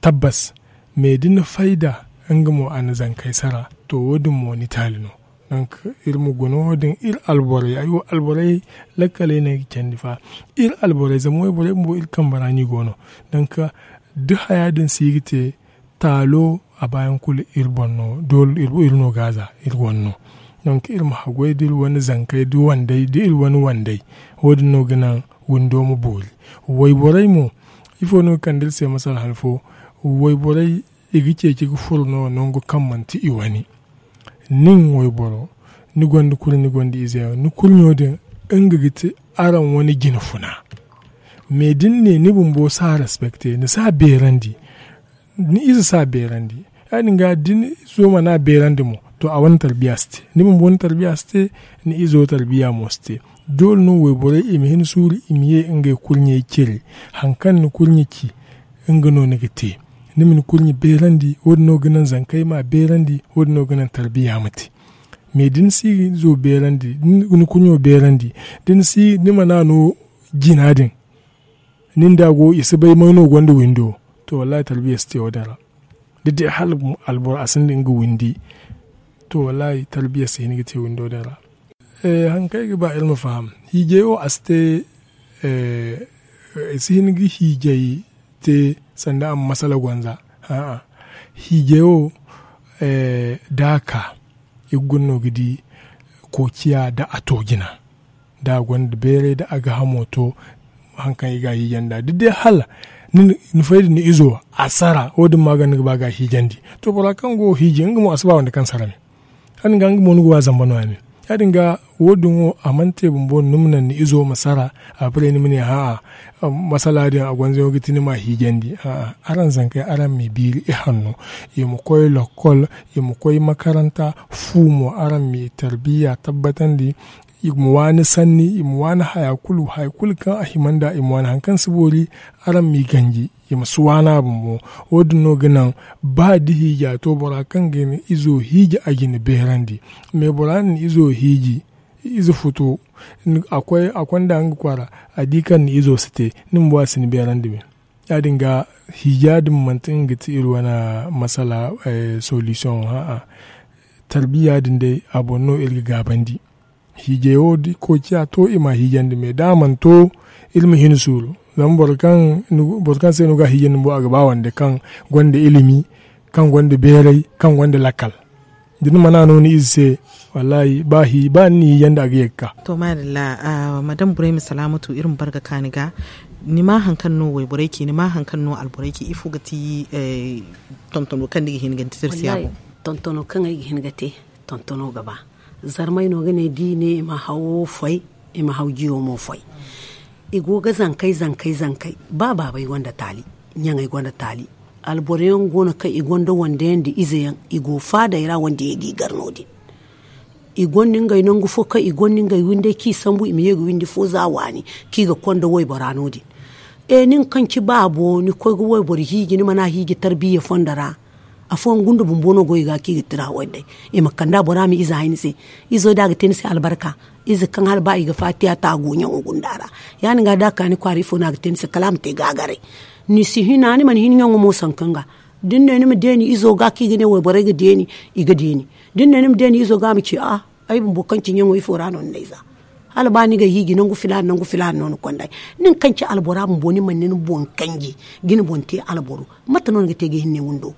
Tabbas. Me da ni fay nd'a, nga mo a na zankey sara. To wo- din mo ni taali no. Donk iri ma guna wo- din iri alborey ay wo alborey lakkaley no ay ga candi fa. Iri alborey zama wayborey bumbo iri kambe ra no i go no. Donk da haya din si ga te, taalo a baayaŋ kulu iri boŋ no. Doole iri no ga a za iri wane no. Donk iri ma haggoy da iri wane zankey da iri wane wandey. Wo- din no ga naŋ windo ma boori. Wayborey mo, ifo no ga kande iri se masala han fo? Wayborey i ga ceeci ga furo no nangu kaŋ manti i wane. Nin wayboro, ni gonda kurɲe ni gonda ize yaŋ ni kurɲo din, nga ga ti araŋ wane jina funa. Me da ni ne ni bumbo si a respekte, ni si a beerandi. Ni ize si a beerandi. Ya- din ga da ni izo mana beerandi mo, to a wane tarbiya si te. Ni bumbo ni tarbiya si te. Ni izo tarbiya mo si te. Doole no wayborey i ma hin suuru i ma ye ngey kurɲey cire. Hari kaŋ ni kurɲe ci, nga no ni ga te. Ni ma ni kurɲe beerandi, wo- din no ga naŋ zankey m'a beerandi, wo- din no ga naŋ tarbiya ma te. Me da ni si izo beerandi, ni kurɲo beerandi, da ni si ni mana no jina din. Nin da a go i si bay may no gonda windo. To wallahi tarbiya si te wo- din ra. Da day hala alboro a sinda nga windi, to wallahi tarbiya si hin ga te windo din ra. Hari kaŋ ay ga ba iri ma faham, hiijay wo a si te. I si hin ga hiijay te sanda a ma masala gonza. Hiijay wo, da a ka i ga guna no ga di koociya da a to jina, da a gonda beeray da a ga hamo to. Hari kaŋ i ga a hiijandi nd'a da day hala ni fay da ni izo a sara wo- din ma ga ni ga ba ga a hiijandi. To bora kaŋ go hiiji nga mo a si ba wande kaŋ sara me. Ya- din ga nga mo ni ga wa zamba no- ya me. Ya- din ga wo- din wo a mana te bumbo ni ma naŋ ni izo ma sara. Après ni ma ne ha'a, masala din a gonza yaŋo ga ti ni m'a hiijandi. Araŋ zankey araŋ m'i biiri i hanno, i ma koy lokkol, i ma koy makaranta. Fu mo araŋ m'i tarbiya tabbatandi. I ma waani sanni, i ma waani haya kulu haya kulu kaŋ a hima nd'a i ma waani hari kaŋ si boori. Araŋ m'i ganji, i ma si waani a bumbo. Wo- din no ga naŋ ba da hiija to bora kaŋ ga ni izo hiiji a ga ni beerandi. Me bora na ni izo hiiji, ize futo, a koy nd'a nga kwaara, a di kaŋ ni izo si te, ni bumbo a si ni beerandi me. Ya- din ga hiija din manti nga ga ti iri wane masala, solisiyoŋo ha'a. Tarbiya din day a boŋ no iri ga gaabandi. Hiijay wo da koociya to i m'a hiijandi me da a mana to, iri ma hin suuru. Zama boro kaŋ se no ga a hiijandi bumbo a ga ba wande kaŋ gonda ilimi, kaŋ gonda beeray, kaŋ gonda lakkal. Da ni mana no ni ize se, wallahi ba ni n'i hiijandi a ga ye ga ka. To maadalla. Madam burayma salaamatu iri ma bar ga ka ni ga. Ni ma hari kaŋ no wayborey ci ni ma hari kaŋ no alborey ci ifo ga ti? Tontono kaŋ ni ga hin ga ni ti tirsiya boŋ. Tontono kaŋ ay ga hin ga te, tontono ga ba. Zarmay no ga ne da i ne i ma hawo foy, i ma haw jiyo mo foy. I go ga zankay zankay zankay. Ba baabay gonda taali, ɲaŋey gonda taali. Alboro yaŋ go no kaŋ i gonda wande yaŋ nda ize yaŋ, i go faaday ra wande yaŋ ga i gar no- din. I gonda ngey nangu fo kaŋ i gonda ngey windey kaŋ i sambu i ma ye ga windi fo za waani, kaŋ i ga konda waybora no- din. E nin kaŋ ci baabo ni koy ga wayboro hiiji ni mana hiiji tarbiya fondo ra. Afooyaŋ gunda bumbo no go i ga kaŋ i ga tira wayday. I ma kand'a bora ma ize hay ni se. Izo da a ga te ni se albarka, ize kaŋ hala ba i ga faatiya ta a go ɲaŋo gunda ra. Ya- din ga da a ka ni kwaara ifo no a ga te ni se kala a ma te gaagaray. Ni si hina ni mana hin ɲaŋo mo sanka nga. Da ni ne ni ma deeni izo ga kaŋ i ga ne wayborey ga deeni, i ga deeni. Da ni ne ni ma deeni izo ga a ma ci a'a, ay bumbo kaŋ ci ɲaŋo ifo ra no ni na ay za? Hala ba ni ga hiiji nangu filaana nangu filaana no ni konda ay. Nin kaŋ ci albora bumbo ni mana ni boŋ kanji, ga ni boŋ te alboro. Mate no ni ga te ga hinne windo?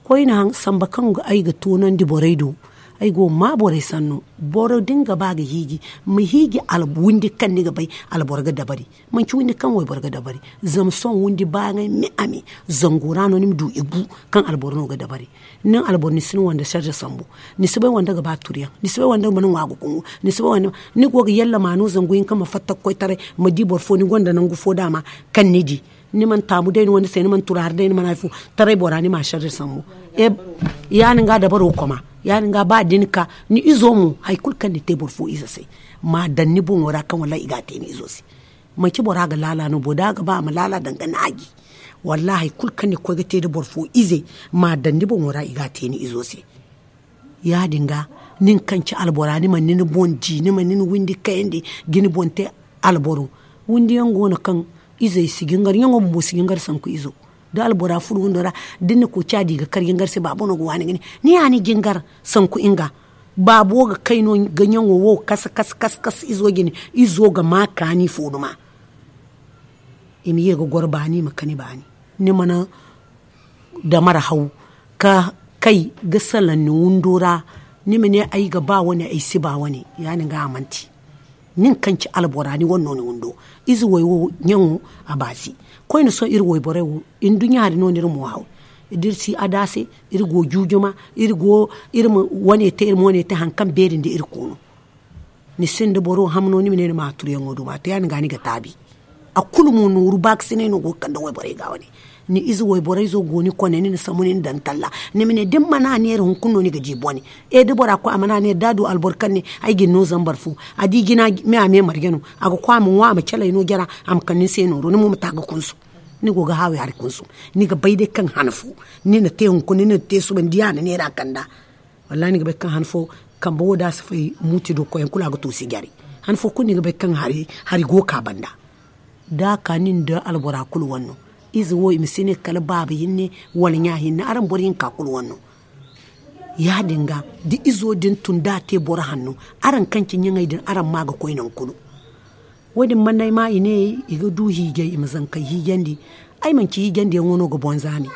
Koyne haŋ samba kaŋ ay ga toonandi borey do. Ay go ga maa borey sanno. Boro da ni ga ba ga hiiji, ma hiiji windi kaŋ ni ga bay alboro ga dabari. Manci windi kaŋ wayboro ga dabari. Zama sohõ windi baayaŋey me a me, zango ra no ni ma du i bu. Kaŋ alboro no ga dabari. Nin alboro ni si ni wande sarde sambu. Ni si bay wande ga ba turiyaŋ, ni si bay wande ga mana ŋwa ga gumo. Ni si bay wande, ni go ga yalla ma no zangu hinka ma fatta ga koy taray, ma di boro fo ni gonda nangu fo daama. Kaŋ ni di ni mana taamu day ni wande se ni mana turaari day ni mana hari fo. Taray bora ni ma sarde sambu. Ya- din ga dabaro koma. Ya- din ga ba da ni ka ni izo mo hari kulu kaŋ ni te boro fo ize se, ma daŋ ni boŋo ra kaŋ wallahi i ga a te ni izo se. Manci bora ga laala no bo da a ga ba a ma laala daŋ ga naaji. Wallaahi hari kulu kaŋ ni ga koy ga te nda boro fo ize, ma daŋ ni boŋo ra i ga a te ni izo se. Ya- din ga, nin kaŋ ci albora ni mana ni boŋ di, ni mana ni windi kayandi ga ni boŋ te alboro. Windi yaŋ go no kaŋ izey si jingar, ɲaŋo bumbo si jingar sanku izo. Da albora furo windo ra, da ni na koociya di ga kar jingar se, baabo no ga waani ga ne, ni ya ni jingar sanku nga. Baabo ga kay no ga ɲaŋo wo kas kas kas kas izo jine. Izo ga ma kaani fo duma. I ma ye ga goro baani, i ma kani baani. Ni mana damar haw ka kay ga salaŋ ni windo ra. Ni ma ne ay ga ba wane, ay si ba wane. Ya- din ga a manti. Nin kaŋ ci albora ni wane no ni windo. Ize way wo ɲaŋo a baasi. Koyne sohõ iri wayborey wo, nduɲɲa hari no no iri mo haw. Da iri si ada se, iri go juujuma, iri go iri ma wane te, iri ma wane te hari kaŋ beeri nda iri koono. Ni sinda boro ham no ni ma ne ni ma a turyaŋo duma te, ya- din ga ni ga taabi. A kulu mo nooru baakasinay no go ga kande wayborey ga wane. Ni ize wayborey zo go ni kone, ni na sambu ni na daŋ talla. Ni ma ne da ni mana a neera hunkuna no ni ga di bone. E da bora koy a mana a neera, da a du alboro kaŋ ne ay ga ni no zambar fo, a di jina me a me marje no, a ga koy a ma ŋwa, a ma calay no jara, a ma kande ni se nooro, ni mo ma ta ga kunsu. Ni go ga haawi hari kunsu. Ni ga bay day kaŋ han fo ni na te hunkuna, ni na te suba, ni di a na neera kanda. Wallaahi ni ga bay kaŋ han fo kambe wo da a si fay muuti do koyyaŋ kulu a ga toosi jare. Han fo kulu ni ga bay kaŋ hari go ka banda. Da a ka nin da albora kulu wane no. Ize wo i ma si ne kala baaba hinne wala ɲa hinne, araŋ boro hinka kulu wane no. Ya- din ga, da izo din tun da a te boro hanno, araŋ kaŋ ci ɲaŋey din, araŋ ma ga koy nangu kulu. Wo- din banda ay ma i ne i ga du hiijay, i ma zankey hiijandi. Ay manci hiijandiyaŋo no ga boŋ zaami.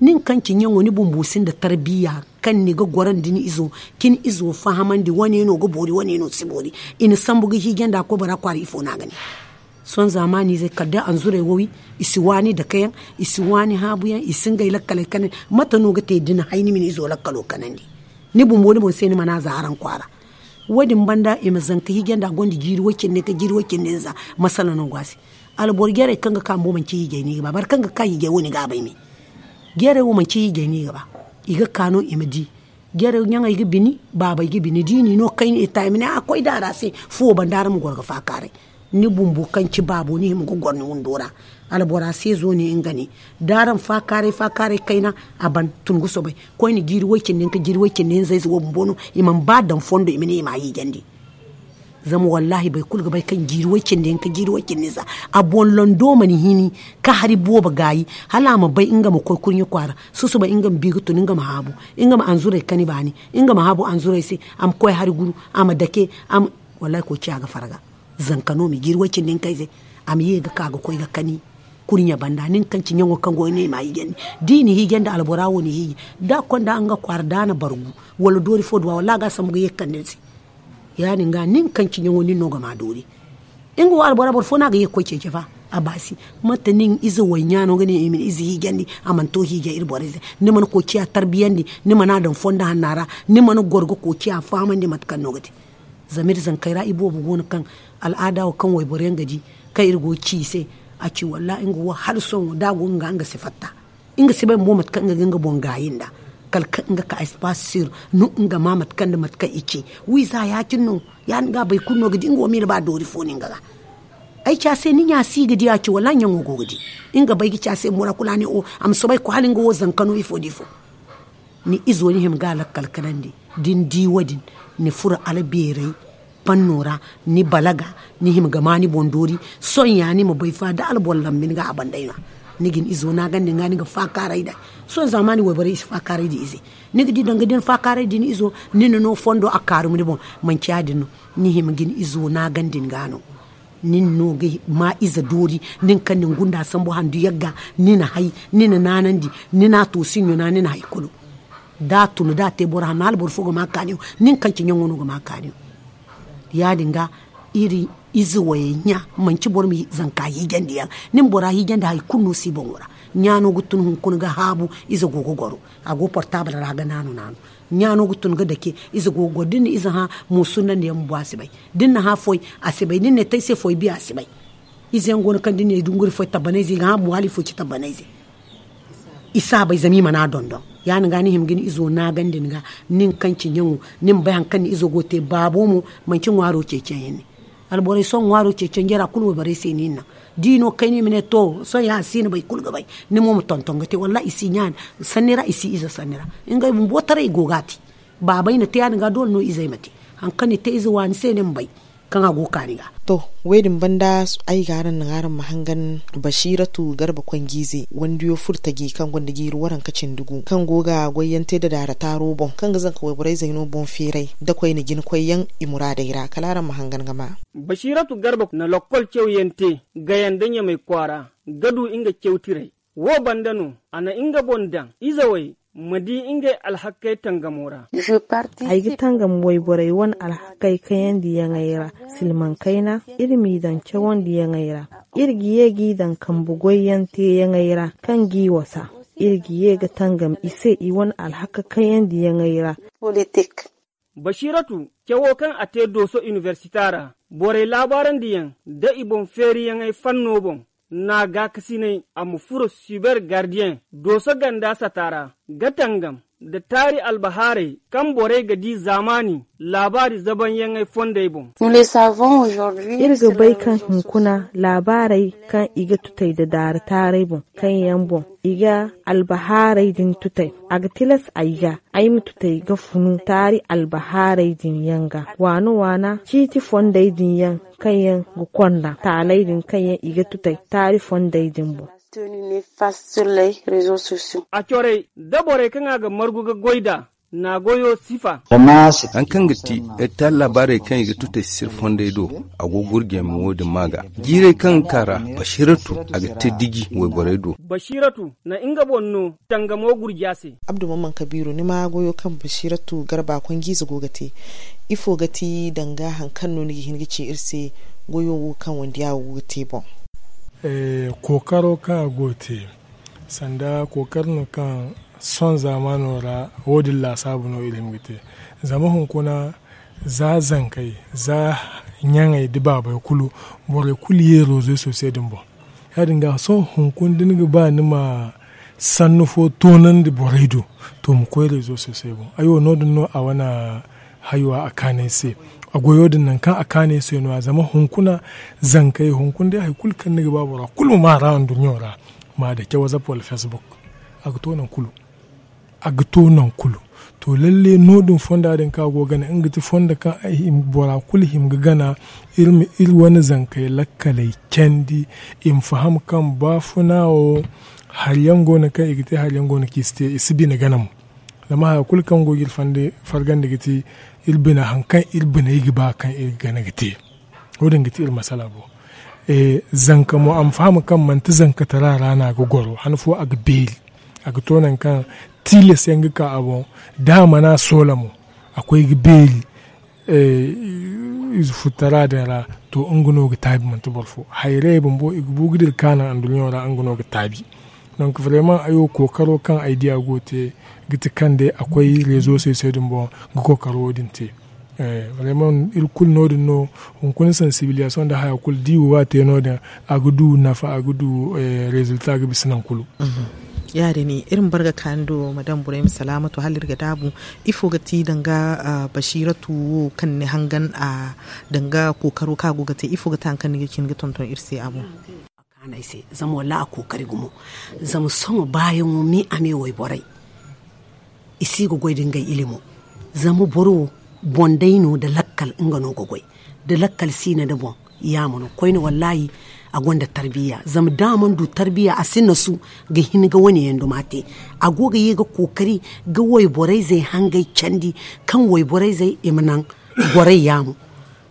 Nin kaŋ ci ɲaŋo, ni bumbo sinda tarbiya kaŋ ni ga gorandi ni izo, ka ni izo fahamandi, wane no ga boori, wane no si boori. I na sambu ga hiijandi a koy bora kwaara, ifo no a ga ne? Sohõ zaamaaniizey kala day anzurey wo wi, i si waani dakeyaŋ, i si waani haabuyaŋ, i si ngey lakkaley kanandi. Mate no ga te da ni hay ni ma ni izo lakkalo kanandi? Ni bumbo ni boŋ se ni mana a za araŋ kwaara. Wo- din banda i ma zanka hiijandi a gonda jiiri way cindi ka jiiri way cindi nza. Masala no go a se. Alboro jarey kaŋ ga ka bumbo manci hiijay no i ga ba, boro kaŋ ga ka hiijay wo ni ga a bay me. Jarey wo manci hiijay no i ga ba. I ga ka no i ma di. Jarey ɲaŋey ga bini, baabey ga bini, da i n'i no kayna i ta i ma ne a koy da a ra se. Fuwo banda araŋ ma goro ga faakaaray. Ni bumbo kaŋ ci baabo ni hima ga goro ni windo ra. Albora se zo ne nga ne. Da araŋ faakaaray faakaaray kayna, a ban tun ga soobay. Koyne jiiri way cindi nka jiiri way cindi nza ize wo bumbo no i mana ba daŋ fondo i ma ne i ma a hiijandi. Zama wallaahi boro kulu ga bay kaŋ jiiri way cindi nka jiiri way cindi nza a boŋ lando mana hini ka hari boobo gaayi. Hala a ma bay nga ma koy kurɲe kwaara. Susuba nga ma bi ga tun nga ma haabu, nga ma anzuray kani baani, nga ma haabu anzuray se. A ma koy hari guru, a ma dake. Wallaahi koociya ga farga. Zanka no ma jiiri way cindi nka ize. A ma ye ga ka ga koy ga kani kurɲe banda nin kaŋ ci ɲaŋo kaŋ go ne i ma hiijandi. Da i na hiijandi albora wo na hiiji da a konda nga kwaara da a na bargu wala doori fo duwa wallaahi a ga a sambu ga ye ga kande ni se. Ya- din ga nin kaŋ ci ɲaŋo nin no ga ma doori. Nga wo albora boro fo no a ga ye ga koy ceeci fa. A baasi. Mate nin ize wayɲa no ga ne i ma ni ize hiijandi a mana to hiijay iri borey se. Ni mana koociya tarbiyandi, ni mana a daŋ fondo hanna ra, ni mana goro ga koociya fahamandi mate kaŋ no ga te. Zama iri zankey ra iboobo go no kaŋ al'aada wo kaŋ wayboro yaŋ ga di kaŋ iri go ga ci i se. A ci wallaahi nga wo hala sohõ da a go nga nga si fatta. Nga si bay bumbo mate kaŋ nga ga nga boŋ gaayi nd'a. Kala kaŋ nga ka espace sur no nga ma mate kaŋ nda mate kaŋ i ce. Wiiza ya- cine no. Ya- din ga boro kulu no ga di nga wo miila ba doori fo no nga ga. Ay ci a se ni ɲa si ga di a ci wallaahi ɲaŋo go ga di. Nga bay ga ci a se bumbo ra kulu a ne o a ma soobay ga koy hala nga wo zanka no ifo nda ifo. Ni izo ni hima ga a lakkal kanandi. Da ni di wo- din ni furo albeeray panno ra. Ni balaga ni hima ga ma ni boŋ doori. Sohõ ya ni ma bay fa da alboro lambi ni ga a banday no. Ni ga ni izo naagandi ni ga ni ga faakaaray nd'a. Sohõ zaamaani wayborey i si faakaaray nda ize. Ni ga di danga da ni faakaaray nda ni izo ni na no fondo a kaarum ni boŋ. Manci ya- din no. Ni hima ga ni izo naagandi ni ga no. Nin no ga ma ize doori. Nin kaŋ na ni gunda sambu handu yagga ni na hay ni na naanandi. Ni na a to sinɲo na ni na hay kulu. Da a tun da a te boro hanno hala boro fo ga ma kaaniyo. Nin kaŋ ci ɲaŋo no ga ma kaaniyo. Ya- din ga iri ize wayey ɲa manci boro ma zanka hiijandi yaŋ. Nin bora hiijandi hari kulu no si boŋo ra. Ɲa no ga tun hunkuna ga haabu ize go ga goro. A go portable ra ga naanu naanu. Ɲa no ga tun ga dake ize go ga goro da ni na ize hã. Mo sunnandi yaŋ bumbo a si bay. Da ni na hã foy a si bay da ni na ay te ay se foy biya a si bay. Ize yaŋ go no kaŋ da ni na ay dunguri foy tabbanayze i ga hã bumbo hala ifo ci tabbanayze. I si a bay zama i mana a dondon. Ya- din ga ni hima ga ni izo naagandi ni ga. Nin kaŋ ci ɲaŋo ni ma bay hari kaŋ ni izo go ga te baabo mo. Manci ŋwaaro ceeciyaŋ yaŋ ne. Alborey sohõ ŋwaaro ceecanjey ra kulu wayborey se no i naŋ. Da i no kayna i ma ne to sohõ ya a si na bay kulu ga bay. Ni mo ma tonton ga te wallahi i si ɲaani sanni ra i si ize sanni ra. Ngey bumbo taray i go ga a te. Baabey na te ya- din ga doole no izey ma te. Hari kaŋ ni te ize waani se ni ma bay kaŋ a go ga kaani ga. To, wo- din banda ay ga araŋ naŋ araŋ ma hangan basiiratu garba konjiize wandiyo furtaji kaŋ gonda jiiri waranka cindi gu kaŋ go ga goyyaŋ te nda daara taaro boŋ kaŋ ga zanka wayborey zayno boŋ feeray nda koyne jina koyyaŋ i muraadey ra kala araŋ ma hangan ga ma. Basiiratu garba na lokkol cawyaŋ te gaya nda ɲamay kwaara ga du nga cawtirey. Wo banda no a na nga boŋ daŋ izawey ma di ngey alhakkey tangamo ra. Ay ga tangam wayborey wane alhakkey kayandiyaŋey ra. Silmaŋ kayna iri m'i daŋ cawandiyaŋey ra. Iri ga ye g'i daŋ kambe goyyaŋ teeyaŋey ra kaŋ g'i wasa. Iri ga ye ga tangam i se i wane alhakka kayandiyaŋey ra. Basiiratu cawo kaŋ a te dooso inibersita ra borey laabaarandiyaŋ nda i boŋ feeriyaŋey fanno boŋ. N'a gaakasinay a ma furo siber gardiyeŋ dooso ganda sata ra ga tangam nda taari albahaarey kaŋ borey ga di zaamaani laabaari zabanyaŋey fondey boŋ. Iri ga bay kaŋ hunkuna laabaarey kaŋ i ga tutay nda daara taaray boŋ kaŋ yaŋ boŋ i ga albahaarey din tutay. A ga tilas ay ga ay ma tutay ga funu taari albahaarey din yaŋ ga waana waana ciiti fondey din yaŋ kaŋ yaŋ ga konda taaley din kaŋ yaŋ i ga tutay taari fondey din boŋ. A corey da borey kaŋ a ga margu ga goy nd'a n'a goyo sifa. Hari kaŋ ga ti iri te a laabaarey kaŋ i ga tutay sir fondey do. A go gurjey ma wo- din maa ga jiirey kaŋ ga ka ra basiiratu a ga te diji wayborey do. Basiiratu na nga boŋ no tangamo gurja se. Abdu mamman kabiiru ni ma goyo kaŋ basiiratu garba konjiize go ga te. Ifo ga ti danga hari kaŋ no ni ga hin ga ci iri se goyo wo kaŋ wandiya wo go ga te boŋ? Kookaro kaŋ a go ga te sanda kookaro no kaŋ sohõ zaamaano ra wo- din laasaabu no iri hima ga te. Zama hunkuna za zankey za ɲaŋey nda baabey kulu borey kulu ye reseaux sociaux din boŋ. Ya- din ga sohõ hunkuna da ni ga ba ni ma sannu fo toonandi borey do to ma koy reseaux sociaux boŋ ay wo no- din no a wane hayo a kaanay se. A goyo din nangu kaŋ a kaanay se no- ya zama hunkuna zankey hunkuna day hari kulu kaŋ ni ga ba bora kulu ma maa ra anduɲɲo ra ma a dake whatsapp wala facebook. A ga to nangu kulu a ga to nangu kulu. To lalle no- din fonda din kaŋ a go ga gana nga ga ti fondo kaŋ bora kulu hima ga gana. Iri ma iri wane zankey lakkaley candi i ma faham kaŋ baafuna wo hari yaŋ go no kaŋ i ga te hari yaŋ go no kaŋ i si te i si bine gana mo. Zama haya kulu kaŋ go ga iri fargandi ga ti iri bina hari kaŋ iri biney ga ba kaŋ iri ga gana ga te. Wo- din ga ti iri masala boŋ. Zanka mo a ma faham kaŋ manti zankatara ra no a ga goro han fo a ga beeri. A ga to nangu kaŋ tilas yaŋ ga ka a boŋ da a mana soola mo a koy ga beeri. Ize furtara din ra to nga no ga taabi manti boro fo hayrayey bumbo i ga bu ga dira kaanaŋ anduɲɲo ra nga no ga taabi. Donc vraiment ay wo kookaro kaŋ ay di a go ga te ga ti kaŋ day a koy rezo se se din boŋ ga kookaro wo- din te. Vraiment iri kulu no- din no hunkuna sensibilisation nda haya kulu da i wo ga te no- din a ga du nafa a ga du rezilta ga bisa nangu kulu. Ya- din iri ma bar ga kaani do madame burayma salaamatu hala iri ga daabu. Ifo ga ti danga basiiratu wo kaŋ ni hangan a danga kookaro kaŋ a go ga te ifo ga ti hari kaŋ ni ga cin ga tonton iri se a boŋ? Kaanay se zama wallahi a kookari gumo. Zama sohõ baayaŋo me a me wayborey i si ga goy nda ngey ilimo. Zama boro wo boŋ day no nda lakkal nga no ga goy. Da lakkal si no nda boŋ yaama no koyne wallahi a gonda tarbiya zama da a mana du tarbiya a si nasu ga hin ga wane yaŋ duma te. A go ga ye ga kookari ga wayborey zey hangey candi kaŋ wayborey zey i ma naŋ gorey yaamo.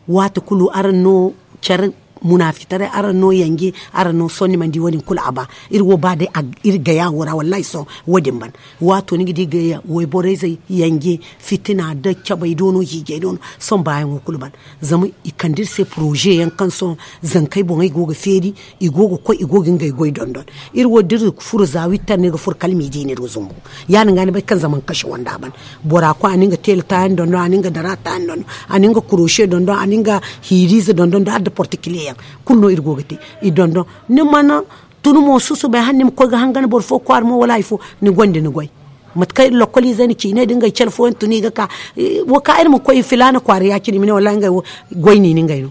Waati kulu araŋ no care munaafitaray araŋ no yanje araŋ no sohõ ni mana di wo- din kulu a ba. Iri wo ba day iri gaya wo ra wallahi sohõ wo- din ban. Waato ni ga di gaya wayborey zey yanje fitina da cabey do no hiijey do no sohõ baayaŋo kulu ban. Zama i kande iri se poroze yaŋ kaŋ sohõ zankey boŋey go ga feeri i go ga koy i go ga ngey goy dondon. Iri wo da iri furo za wittar no iri ga furo kala miidi no iri ga zumbu. Ya- din ga ni bay kaŋ zaman kase wanda ban bora koy a na nga teela taayaŋ dondon a na nga dara taayaŋ dondon a na nga korose dondon a na nga hiiriize dondon nda adda portikile yaŋ kulu no iri go ga te. I dondon ni mana tun mo susubay hala ni ma koy ga hangan boro fo kwaara mo wala hari fo. Ni gonda ni goy mate kaŋ iri lokkoliizey na ciiney nda ngey care fooyaŋ tun i ga ka. Wo ka iri ma koy filaana kwaara ya- cine i ma ne wallahi ngey wo goy no i na ngey no.